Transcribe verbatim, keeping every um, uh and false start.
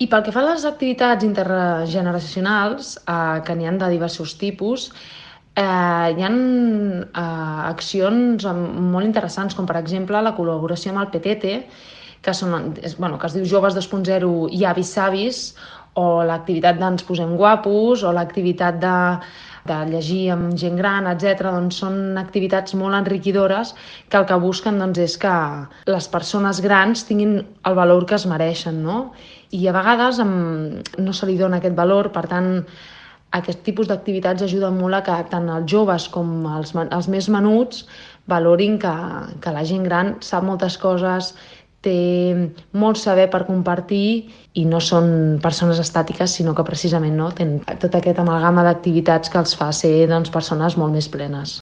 I pel que fa a les activitats intergeneracionals, eh, que n'hi ha de diversos tipus, eh, hi ha eh, accions molt interessants, com per exemple la col·laboració amb el Petete, que, són, és, bueno, que es diu Joves dos punt zero i Avis Savis, o l'activitat d'Ens posem guapos, o l'activitat de, de llegir amb gent gran, etcètera. Doncs són activitats molt enriquidores que el que busquen doncs, és que les persones grans tinguin el valor que es mereixen, no? I a vegades no se li dona aquest valor, per tant, aquest tipus d'activitats ajuden molt a que tant els joves com els, els més menuts valorin que, que la gent gran sap moltes coses, té molt saber per compartir i no són persones estàtiques, sinó que precisament no, tenen tot aquest amalgama d'activitats que els fa ser doncs, persones molt més plenes.